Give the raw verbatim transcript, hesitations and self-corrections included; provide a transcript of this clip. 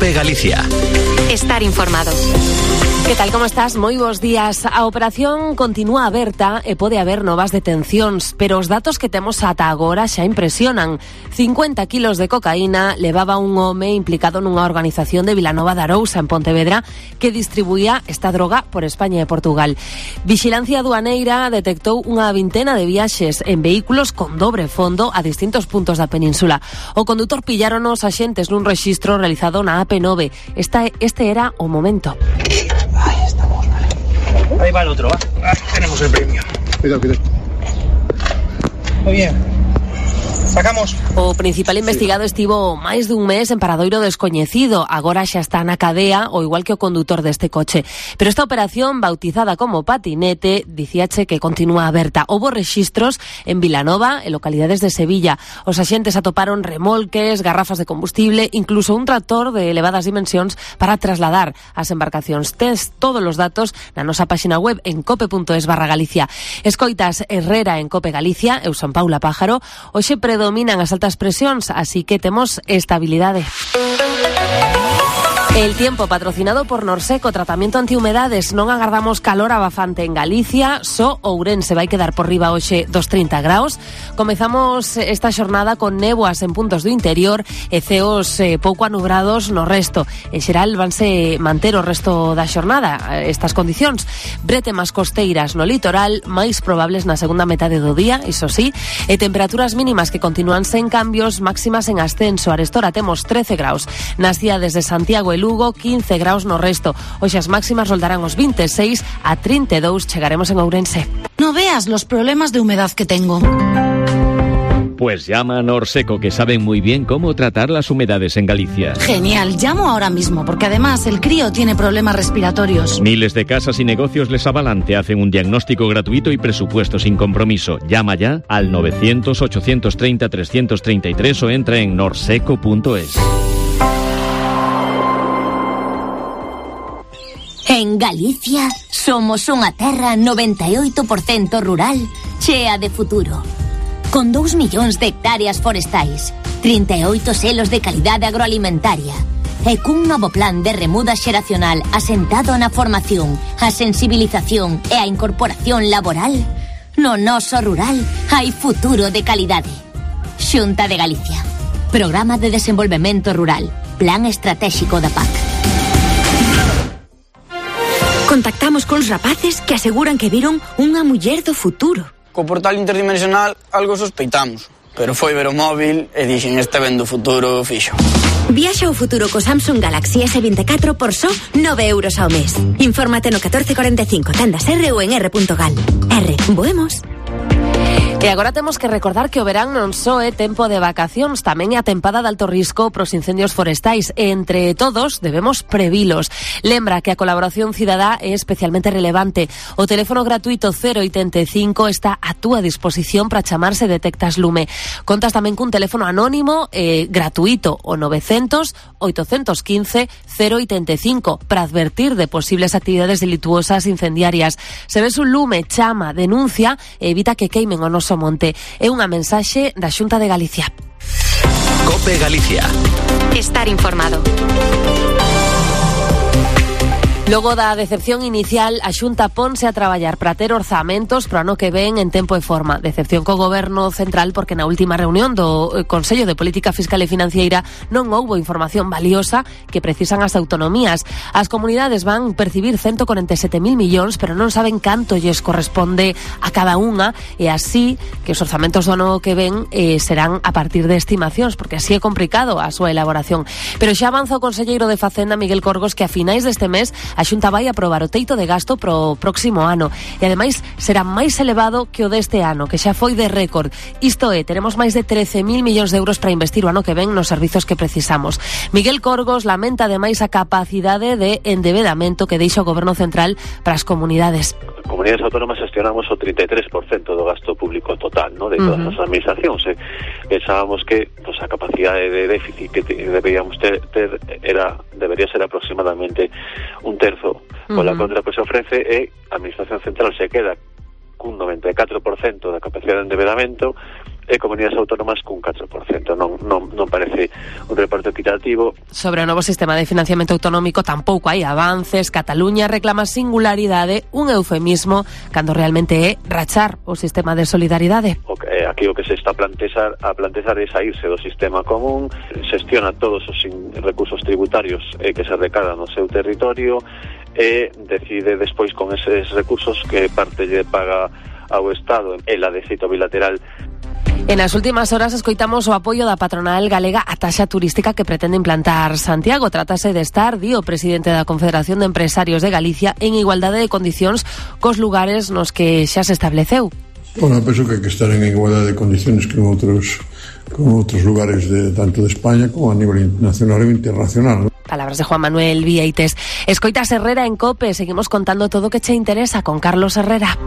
Cope Galicia. Estar informado. Que tal, como estás? Moi bons días. A operación continúa aberta e pode haber novas detencións, pero os datos que temos ata agora xa impresionan. cincuenta kilos de cocaína levaba un home implicado nunha organización de Vilanova de Arousa, en Pontevedra, que distribuía esta droga por España e Portugal. Vixilancia aduaneira detectou unha vintena de viaxes en vehículos con dobre fondo a distintos puntos da península. O condutor pillaronos axentes nun rexistro realizado na A P nove. Esta, este era o momento. Ahí estamos, vale. Ahí va el otro, va. Ahí tenemos el premio. Cuidado, cuidado. Muy bien. Sacamos. O principal investigado estivo máis dun mes en paradoiro descoñecido. Agora xa está na cadea, o igual que o condutor deste coche. Pero esta operación, bautizada como patinete, dicíache que continúa aberta. Houbo rexistros en Vilanova, en localidades de Sevilla. Os axentes atoparon remolques, garrafas de combustible, incluso un tractor de elevadas dimensións para trasladar as embarcacións. Tes todos os datos na nosa páxina web en cope punto es barra Galicia. Escoitas Herrera en Cope Galicia, eu son Paula Pájaro. Hoxe predominan as altas presións, así que temos estabilidade. El tiempo patrocinado por Norseco, tratamento antihumedades. Non agardamos calor abafante en Galicia, só Ourense vai quedar por riba hoxe dos trinta graus. Comezamos esta xornada con néboas en puntos do interior e ceos eh, pouco anubrados no resto. En xeral vanse manter o resto da xornada estas condicións. Bretemas costeiras no litoral, máis probables na segunda metade do día, iso sí, e temperaturas mínimas que continúan sen cambios, máximas en ascenso. Arestora temos trece graus nas cidades de Santiago e Lugo, quince graus no resto. Hoxe as máximas roldarán os veintiséis a trinta e dous, chegaremos en Ourense. No veas los problemas de humedad que tengo. Pues llama a Norseco, que saben muy bien cómo tratar las humedades en Galicia. Genial, llamo ahora mismo, porque además el crío tiene problemas respiratorios. Miles de casas y negocios les avalan, te hacen un diagnóstico gratuito y presupuesto sin compromiso. Llama ya al novecientos, ochocientos treinta, trescientos treinta y tres o entra en norseco punto es. En Galicia somos unha terra noventa e oito por cento rural, chea de futuro. Con dous millóns de hectáreas forestais, trinta e oito selos de calidade agroalimentaria e cun novo plan de remuda xeracional asentado na formación, a sensibilización e a incorporación laboral, no noso rural hai futuro de calidade. Xunta de Galicia. Programa de Desenvolvemento Rural. Plan Estratégico da P A C. Contactamos cons rapaces que aseguran que viron unha muller do futuro. Co portal interdimensional algo sospeitamos, pero foi ver o móvil e dixen este ven do futuro fixo. Viaxa ao futuro co Samsung Galaxy ese veinticuatro por só nove euros ao mes. Infórmate no catorce cuarenta e cinco, tendas R ou en R punto gal. R, voemos. E agora temos que recordar que o verán non só é tempo de vacacións, tamén é a tempada de alto risco pros incendios forestais e entre todos debemos previlos. Lembra que a colaboración cidadá é especialmente relevante. O teléfono gratuito cero oitenta e cinco está a túa disposición para chamarse detectas lume. Contas tamén cun teléfono anónimo e gratuito, o novecientos, oitocentos quince, cero oitenta e cinco, para advertir de posibles actividades delituosas incendiarias. Se ves un lume, chama, denuncia e evita que queimen o noso monte. É unha mensaxe da Xunta de Galicia. Cope Galicia. Estar informado. Logo da decepción inicial, a Xunta ponse a traballar para ter orzamentos pro ano que ven en tempo e forma. Decepción co Goberno Central porque na última reunión do Consello de Política Fiscal e Financeira non houbo información valiosa que precisan as autonomías. As comunidades van percibir ciento cuarenta e sete mil millóns, pero non saben canto lles corresponde a cada unha, e así que os orzamentos do ano que ven eh, serán a partir de estimacións, porque así é complicado a súa elaboración. Pero xa avanza o conselleiro de Facenda, Miguel Corgos, que a finais deste mes a Xunta vai aprobar o teito de gasto pro próximo ano e ademais será máis elevado que o deste ano, que xa foi de récord. Isto é, teremos máis de trece mil millóns de euros para investir o ano que ven nos servizos que precisamos. Miguel Corgos lamenta ademais a capacidade de endebedamento que deixa o Goberno Central para as comunidades. Comunidades autónomas gestionamos o trinta e tres por cento do gasto público total, ¿no?, de todas uh-huh. as administracións. Eh. Pensábamos que pues, a capacidade de déficit que deberíamos ter, ter era debería ser aproximadamente un terzo. Uh-huh. Con la contra que se ofrece e a administración central se queda cun noventa e catro por cento da capacidade de endebedamento e comunidades autónomas cun catro por cento. Non, non, non parece un reparto equitativo. Sobre o novo sistema de financiamento autonómico tampouco hai avances. Cataluña reclama singularidade, un eufemismo, cando realmente é rachar o sistema de solidaridade. O que, aquí o que se está a plantexar, a plantexar é saírse do sistema común, xestiona todos os recursos tributarios eh, que se recadan no seu territorio e decide despois con eses recursos que parte lle paga ao Estado e la de xeito bilateral. En as últimas horas escoitamos o apoio da patronal galega á taxa turística que pretende implantar Santiago. Trátase de estar, di o presidente da Confederación de Empresarios de Galicia, en igualdade de condicións cos lugares nos que xa se estableceu. Bueno, penso que hai que estar en igualdade de condiciones con outros con outros lugares de tanto de España como a nivel nacional e internacional, ¿no? Palabras de Juan Manuel Vieites. Escoitas Herrera en COPE. Seguimos contando todo o que che interesa con Carlos Herrera.